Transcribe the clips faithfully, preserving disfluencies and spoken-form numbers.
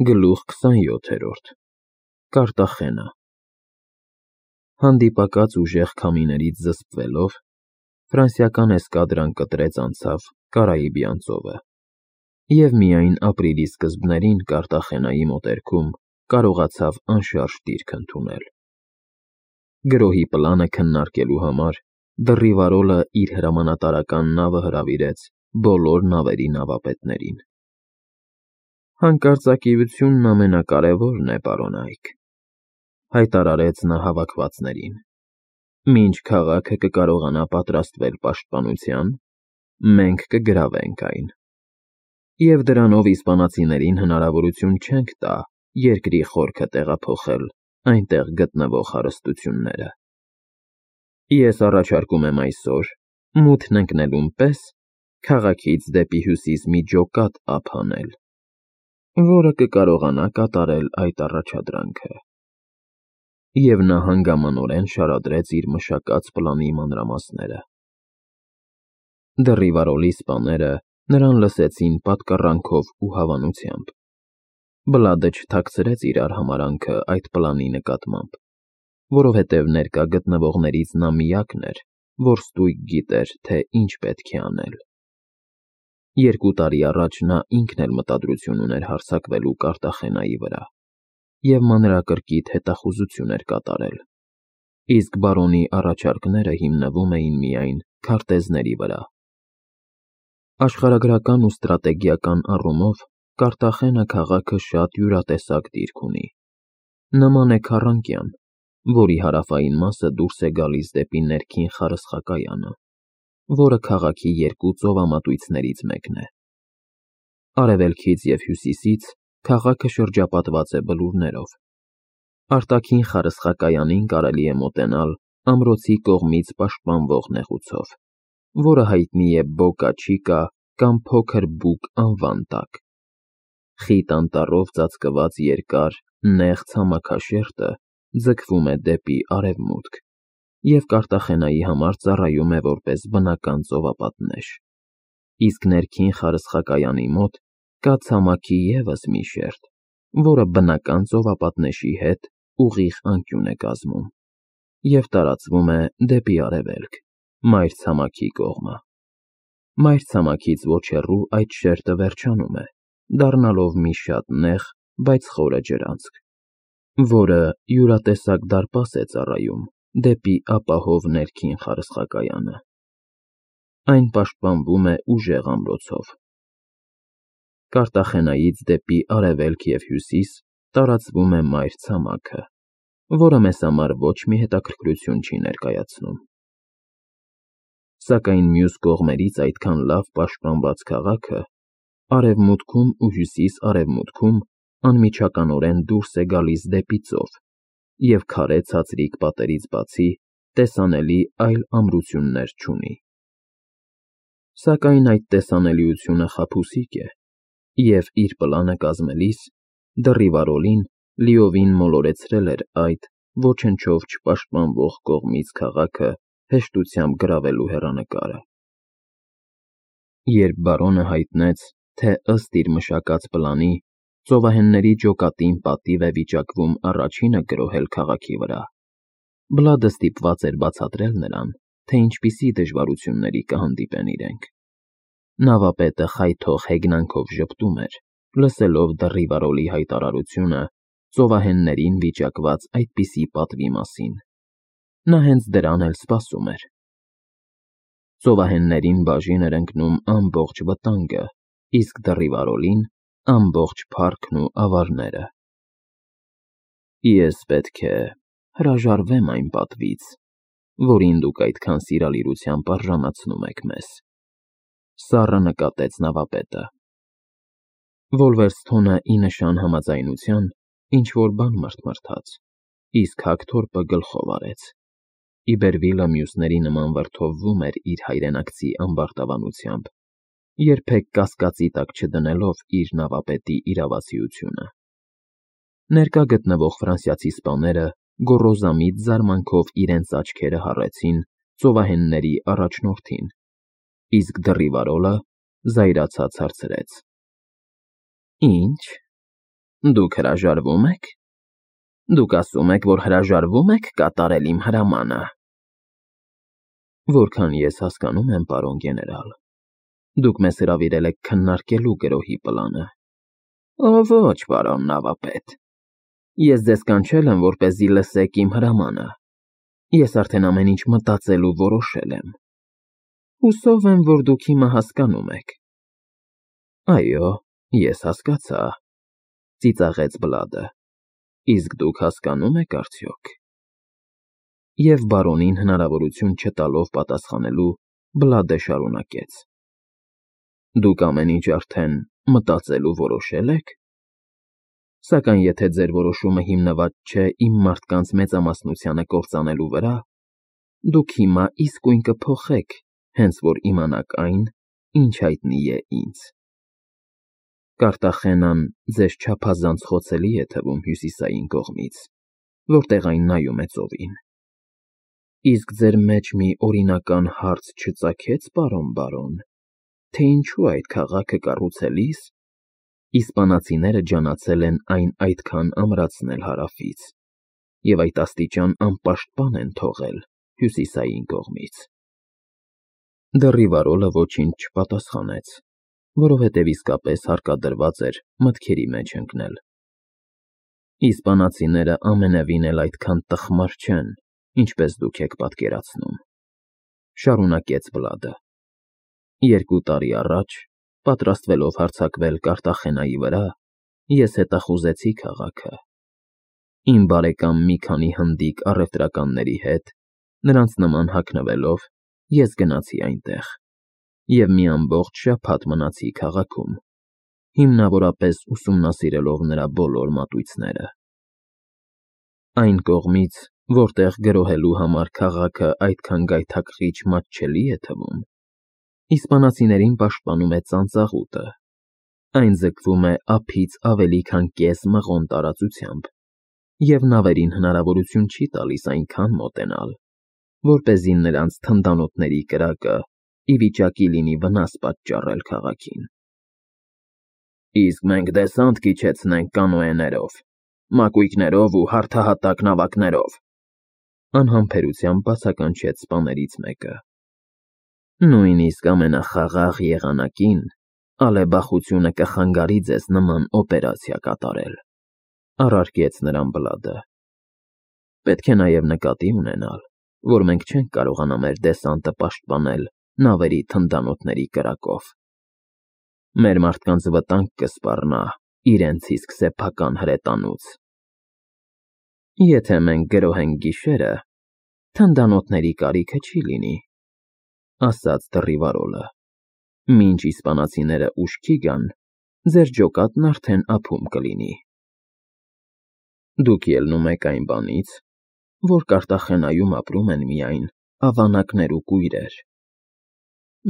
Գլուխ քսանյոթերորդ Կարտախենա Հանդիպակաց ուժեղ քամիներից զսպվելով, ֆրանսիական էսկադրան կտրեց անցավ Կարիբյան ծովը, և միայն ապրիլի սկզբներին Կարտախենայի մոտերքում կարողացավ անշարժ դիրք ընդունել։ Գրոհի պլանը քննարկելու համար Դռիվարոլը իր հրամանատարական նավը հրավիրեց բոլոր նավերի նավապետներին։ «Հանկարծակիությունն ամենակարևորն է, պարոն Այք,» հայտարարեց նա հավաքվածներին։ «Մինչ քաղաքը կկարողանա պատրաստվել պաշտպանության, մենք կգրավենք այն, և դրանով իսպանացիներին հնարավորություն չենք տա երկրի խորքը տեղափոխել այնտեղ գտնվող հարստությունները։ Ես առաջարկում եմ այսօր, մութն ընկնելուն պես, քաղաքից դեպի հյուսիս մի ջոկատ ափ հանել, որը կկարողանա կատարել այդ առաջադրանքը»։ Եվ նա հանգամանորեն շարադրեց իր մշակած պլանի մանրամասները։ Դռիվարոլի սպաները նրան լսեցին պատկառանքով ու հավանությամբ։ Բլադը չթաքցրեց իր արհամարհանքը այդ պլանի նկատմամբ, որովհետև ներկա գտնվողներից նա միակն էր, որ ստույգ գիտեր, թե ինչ պետք է անել։ Երկու տարի առաջ նա ինքն էլ մտադրություն ուներ հարձակվելու Կարտախենայի վրա և մանրակրկիտ հետախուզություն էր կատարել, իսկ բարոնի առաջարկները հիմնվում էին միայն քարտեզների վրա։ Աշխարհագրական ու ստրատեգիական առումով Կարտախենա քաղաքը շատ յուրատեսակ դիրք ունի։ Նման է քառանկյան, որի հարավային մասը դուրս է գալիս դեպի ներքին խարսխակայանը, որը քաղաքի երկու ծովամատույցներից մեկն է։ Արևելքից և հյուսիսից քաղաքը շրջապատված է բլուրներով։ Արտաքին խարսխակայանին կարելի է մոտենալ ամրոցի կողմից պաշտպանվող նեղուցով, որը հայտնի է Բոկա Չիկա կամ Փոքր Բուկ անվան տակ։ Խիտ անտառով ծածկված երկար, նեղ ցամաքաշերտը ձգվում է դեպի արևմուտք և Կարտախենայի համար ծառայում է որպես բնական ծովապատնեշ, իսկ ներքին խարսխակայանի մոտ կա ցամաքի ևս մի շերտ, որը բնական ծովապատնեշի հետ ուղիղ անկյուն է կազմում և տարածվում է դեպի արևելք, մայրցամաքի կողմը։ Մայրցամաքից ոչ հեռու այդ շերտը վերջանում է, դառնալով մի շատ նեղ, բայց խորը ջրանցք, որը յուրատեսակ դարպաս է ծառայում դեպի ապահով ներքին խարսխակայանը։ Այն պաշտպանվում է ուժեղ ամրոցով։ Կարտախենայից դեպի արևելք և հյուսիս տարածվում է մայրցամաքը, որը մեզ համար ոչ մի հետաքրքրություն չի ներկայացնում։ Սակայն մյուս կողմերից այդքան լավ պաշտպանված քաղաքը արևմուտքում ու հյուսիս֊արևմուտքում անմիջականորեն դուրս է գալիս դեպի ծով և քարե ցածրիկ պատերից բացի տեսանելի այլ ամրություններ չունի։ Սակայն այդ տեսանելիությունը խաբուսիկ է, և իր պլանը կազմելիս Դռիվարոլին լիովին մոլորեցրել էր այդ ոչնչով չպաշտպանվող կողմից քաղաքը հեշտությամբ գրավելու հեռանկարը։ Երբ բարոնը հայտնեց, թե ըստ իր մշակած պլանի ծովահենների ջոկատին պատիվ է վիճակվում առաջինը գրոհել քաղաքի վրա, Բլադը ստիպված էր բացատրել նրան, թե ինչպիսի դժվարությունների կհանդիպեն իրենք։ Նավապետը խայթող հեգնանքով ժպտում էր, լսելով Դռիվարոլի հայտարարությունը ծովահեններին վիճակված այդպիսի պատվի մասին։ Նա հենց դրան էլ սպասում էր։ Ծովահեններին բաժին էր ընկնում ամբողջ վտանգը, իսկ Դռիվարոլին՝ ամբողջ փառքն ու ավարները։ «Ես պետք է հրաժարվեմ այն պատվից, որին դուք այդքան սիրալիրությամբ արժանացնում եք մեզ», ֊ սառը նկատեց նավապետը։ Վոլվերսթոնը ի նշան համաձայնության ինչ֊որ բան մռթմռթաց, իսկ Հագթորպը գլխով արեց։ Իբերվիլը մյուսների նման վրդովվում էր իր հայրենակցի ամբարտավանությամբ, երբեք կասկածի տակ չդնելով իր նավապետի իրավացիությունը։ Ներկա գտնվող ֆրանսիացի սպաները գոռոզամիտ զարմանքով իրենց աչքերը հառեցին ծովահենների առաջնորդին, իսկ Դռիվարոլը զայրացած հարցրեց. «Ի՞նչ, Դուք հրաժարվում եք։ Դուք ասում եք, որ հրաժարվում եք կատարել իմ հրամանը։ Որքան ես հասկանում եմ, պարոն գեներալ, դուք մեզ հրավիրել եք քննարկելու գրոհի պլանը։ Ո ոչ, պարոն նավապետ։ Ես ձեզ կանչել եմ, որպեսզի լսեք իմ հրամանը։ Ես արդեն ամեն ինչ մտածել ու որոշել եմ։ Հուսով եմ, որ դուք հիմա հասկանում եք։ Այո, ես հասկացա, ծիծաղեց Բլադը։ Իսկ դուք հասկանում եք արդյոք։ Եվ բարոնին հնարավորություն չտալով պատասխանելու, Բլադը շարունակեց. Դուք ամեն ինչ արդեն մտածել ու որոշել եք։ Սակայն եթե ձեր որոշումը հիմնված չէ իմ մարդկանց մեծամասնությանը կործանելու վրա, դուք հիմա իսկույն կփոխեք, հենց որ իմանաք այն, ինչ հայտնի է ինձ։ Կարտախենան ձեզ չափազանց խոցելի է թվում հյուսիսային կողմից, որտեղ այն նայում է ծովին։ Իսկ ձեր մեջ մի օրինական հարց չծագեց, պարոն բարոն, թե ինչու այդ քաղաքը կառուցելիս իսպանացիները ջանացել են այն այդքան ամրացնել հարավից, և այդ աստիճան անպաշտպան են թողել հյուսիսային կողմից։ Դեռիվարոլը ոչինչ չպատասխանեց, որովհետև իսկապես հարկադրված էր մտքերի մեջ ընկնել։ Իսպանացիները ամենևին էլ այդքան տխմար չեն, ինչպես դուք եք պատկերացնում, շարունակեց Բլադը։ Երկու տարի առաջ, պատրաստվելով հարձակվել Կարտախենայի վրա, ես հետախուզեցի քաղաքը։ Իմ բարեկամ մի քանի հնդիկ առևտրականների հետ, նրանց նման հագնվելով, ես գնացի այնտեղ և մի ամբողջ շաբաթ մնացի քաղաքում, հիմնավորապես ուսումնասիրելով նրա բոլոր մատույցները։ Այն կողմից, որտեղ գրոհելու համար քաղաքը այդքան գայթակղիչ մատչելի է թվում, իսպանացիներին պաշտպանում է ծանծաղուտը։ Այն ձգվում է ափից ավելի քան կես մղոն տարածությամբ, և նավերին հնարավորություն չի տալիս այնքան մոտենալ, որպեսզի նրանց թնդանոթների կրակը ի վիճակի լինի վնաս պատճառել քաղաքին։ Իսկ մենք դեսանտ կիջեցնենք կանոեներով, մակույկներով ու հարթահատակ նավակներով, անհամբերությամբ բացականչեց սպաներից մեկը։ Նույնիսկ ամենախաղաղ եղանակին ալեբախությունը կխանգարի ձեզ նման օպերացիա կատարել, առարկեց նրան Բլադը։ Պետք է նաև նկատի ունենալ, որ մենք չենք կարողանա մեր դեսանտը պաշտպանել նավերի թնդանոթների կրակով։ Մեր մարդկանց վտանգ կսպառնա իրենց իսկ սեփական հրետանուց։ Եթե մենք գրոհենք գիշերը, թնդանոթների կարիքը չի լինի, ասաց դռիվարոլը։ Մինչ իսպանացիները ուշքի գան, ձեր ջոկատն արդեն ափում կլինի։ Դուք ելնում եք այն բանից, որ Կարտախենայում ապրում են միայն ավանակներ ու կույրեր։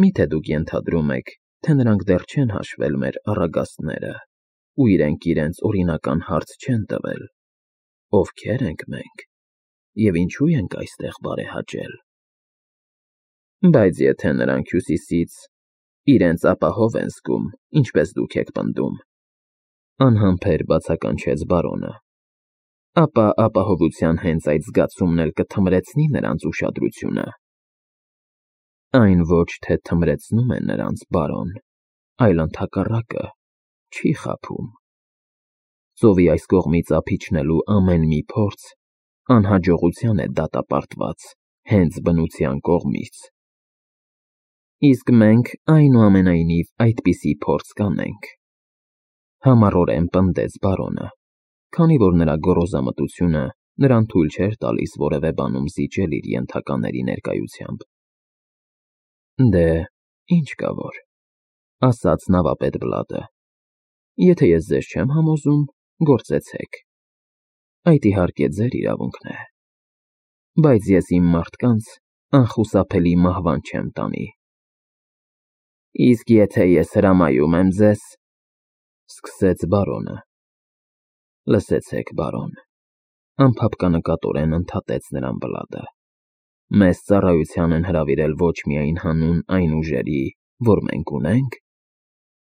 Մի՞թե դուք ենթադրում եք, թե նրանք դեռ չեն հաշվել մեր առագաստները ու իրենք իրենց օրինական հարց չեն տվել. ովքեր ենք մենք և ինչու ենք այստեղ բարեհաճել։ Բայց եթե նրանք հյուսիսից իրենց ապահով են զգում, ինչպես դուք եք պնդում, անհամբեր բացականչեց բարոնը, ապա ապահովության հենց այդ զգացումն էլ կթմրեցնի նրանց ուշադրությունը։ Այն ոչ թե թմրեցնում է նրանց, բարոն, այլ ընդհակառակը, չի խաբում։ Ծովի այս կողմից ափ իջնելու ամեն մի փորձ անհաջողության է դատապարտված հենց բնության կողմից։ Իսկ մենք, այնուամենայնիվ, այդպիսի փորձ կանենք, համառորեն պնդեց բարոնը, քանի որ նրա գոռոզամտությունը նրան թույլ չէր տալիս որևէ բանում զիջել իր ենթակաների ներկայությամբ։ Դե, ինչ կա որ, ասաց նավապետ Բլադը, եթե ես ձեզ չեմ համոզում, գործեցեք, այդ իհարկե ձեր իրավունքն է, բայց ես իմ մարդկանց անխուսափելի մահվան չեմ տանի։ Իսկ եթե ես հրամայում եմ ձեզ, սկսեց բարոնը։ Լսեցեք, բարոն, անփափկանկատորեն ընդհատեց նրան Բլադը, մեզ ծառայության են հրավիրել ոչ միայն հանուն այն ուժերի, որ մենք ունենք,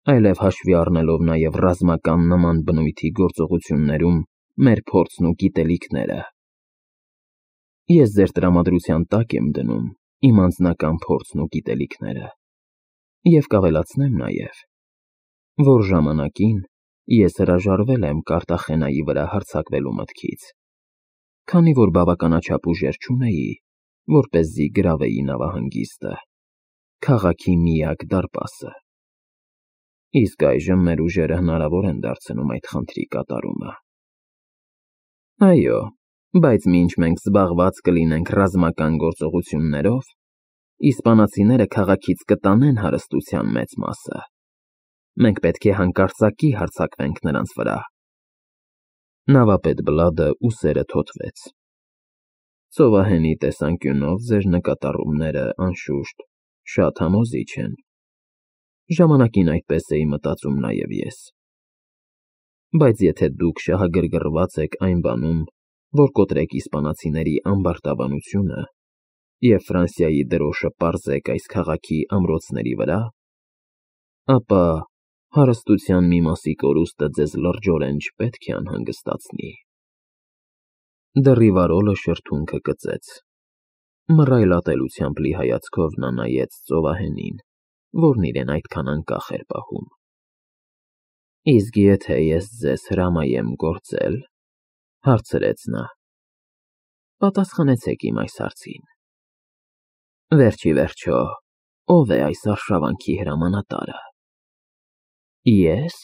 այլև հաշվի առնելով նաև ռազմական նման բնույթի գործողություններում մեր փորձն ու գիտելիքները։ Ես ձեր տրամադրության տակ եմ դնում իմ անձնական փորձն ու գիտելիքները և կավելացնեմ նաև, որ ժամանակին ես հրաժարվել եմ Կարտախենայի վրա հարձակվելու մտքից, քանի որ բավականաչափ ուժեր չունեի, որպեսզի գրավեի նավահանգիստը, քաղաքի միակ դարպասը։ Իսկ այժմ մեր ուժերը հնարավոր են դարձնում այդ խնդրի կատարումը։ Այո, բայց մինչ մենք զբաղված կլինենք ռազմական գործողություններով, իսպանացիները քաղաքից կտանեն հարստության մեծ մասը։ Մենք պետք է հանկարծակի հարձակվենք նրանց վրա։ Նավապետ Բլադը ուսերը թոթվեց։ Ծովահենի տեսանկյունով ձեր նկատառումները, անշուշտ, շատ համոզիչ են։ Ժամանակին այդպես էի մտածում նաև ես։ Բայց եթե դուք շահագրգռված եք այն բանում, որ կոտրեք իսպանացիների ամբարտավանությունը և Ֆրանսիայի դրոշը պարզեք այս քաղաքի ամրոցների վրա, ապա հարստության մի մասի կորուստը ձեզ լրջորեն չպետք է անհանգստացնի։ Դռիվարոլը շրթունքը կծեց։ Մռայլ ատելությամբ լի հայացքով նա նայեց ծովահենին, որն իրեն այդքան անկախ էր պահում։ Իսկ եթե ես ձեզ հրամայեմ գործել, հարցրեց նա, պատասխանեցեք իմ այս հարցին։ Վերջ ի վերջո, ո՞վ է այս արշավանքի հրամանատարը։ Ես,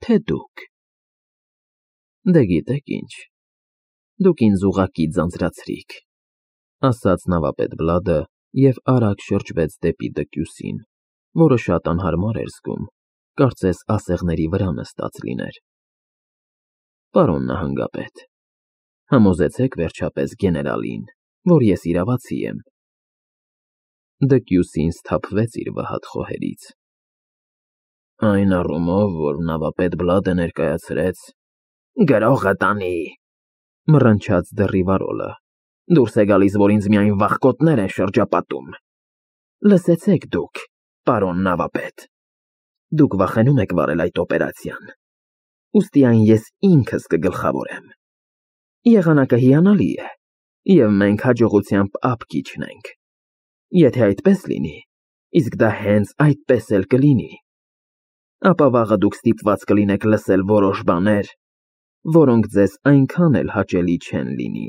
թե դուք։ Դե գիտեք ինչ, դուք ինձ ուղղակի ձանձրացրիք, ասաց նավապետ Բլադը և արագ շրջվեց դեպի դկյուսին, որը շատ անհարմար էր զգում, կարծես ասեղների վրա նստած լիներ։ Պարոն նահանգապետ, համոզեցեք վերջապես գեներալին, որ ես իրավացի եմ։ Դկյուսին սթափվեց իր վհատ խոհերից։ Այն առումով, որ նավապետ Բլադը ներկայացրեց, գրողը տանի, մռնչաց դռիվարոլը, դուրս է գալիս, որ ինձ միայն վախկոտներ են շրջապատում։ Լսեցեք դուք, պարոն նավապետ, դուք վախենում եք վարել այդ օպերացիան, ուստի այն ես ինքս կգլխավորեմ։ Եղանակը հիանալի է, և մենք հաջողությամբ ափ կիջնենք։ Եթե այդպես լինի, իսկ դա հենց այդպես էլ կլինի, ապա վաղը դուք ստիպված կլինեք լսել որոշ բաներ, որոնք ձեզ այնքան էլ հաճելի չեն լինի։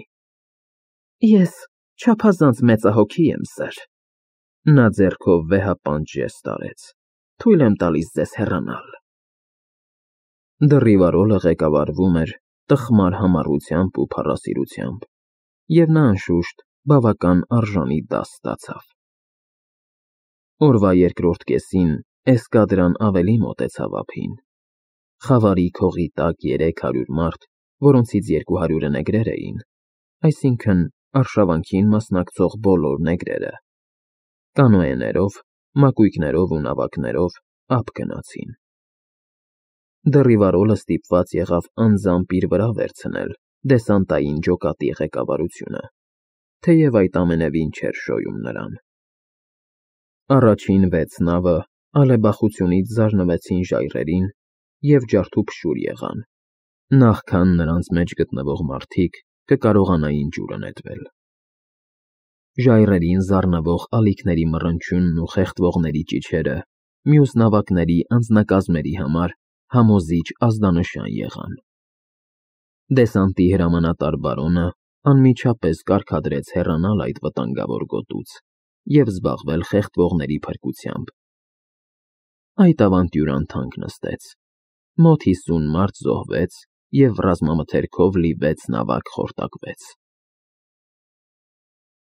Ես չափազանց մեծահոգի եմ, սըր։ Նա ձեռքով վեհապանծ ժեստ արեց։ Թույլ եմ տալիս ձեզ հեռանալ։ Դռիվարոլը ղեկավարվում էր տխմար համառությամբ ու փառասիրությամբ, և նա, անշուշտ, բավական արժանի դաս ստացավ։ Օրվա երկրորդ կեսին էսկադրան ավելի մոտեցավ ափին։ Խավարի քողի տակ երեք հարյուր մարդ, որոնցից երկու հարյուրը նեգրեր էին, այսինքն արշավանքին մասնակցող բոլոր նեգրերը, կանոեներով, մակույկներով ու նավակներով ափ գնացին։ Դռիվարոլը ստիպված եղավ անձամբ իր վրա վերցնել դեսանտային ջոկատի ղեկավարությունը, թեև այդ ամենևին չէր շոյում նրան։ Առաջին վեց նավը ալեբախությունից զարնվեցին ժայռերին և ջարդուփշուր եղան, նախքան նրանց մեջ գտնվող մարդիկ կկարողանային ջուրը նետվել։ Ժայռերին զառնվող ալիքների մռնչյունն ու խեղդվողների ճիչերը մյուս նավակների անձնակազմերի համար համոզիչ ազդանշան եղան։ Դեսանտի հրամանատար բարոնը անմիջապես կարգադրեց հեռանալ այդ վտանգավոր գոտուց և զբաղվել խեղդվողների փրկությամբ։ Այդ ավանտյուրան թանկ նստեց, մոտ հիսուն մարդ զոհվեց և ռազմամթերքով լի վեց նավակ խորտակվեց։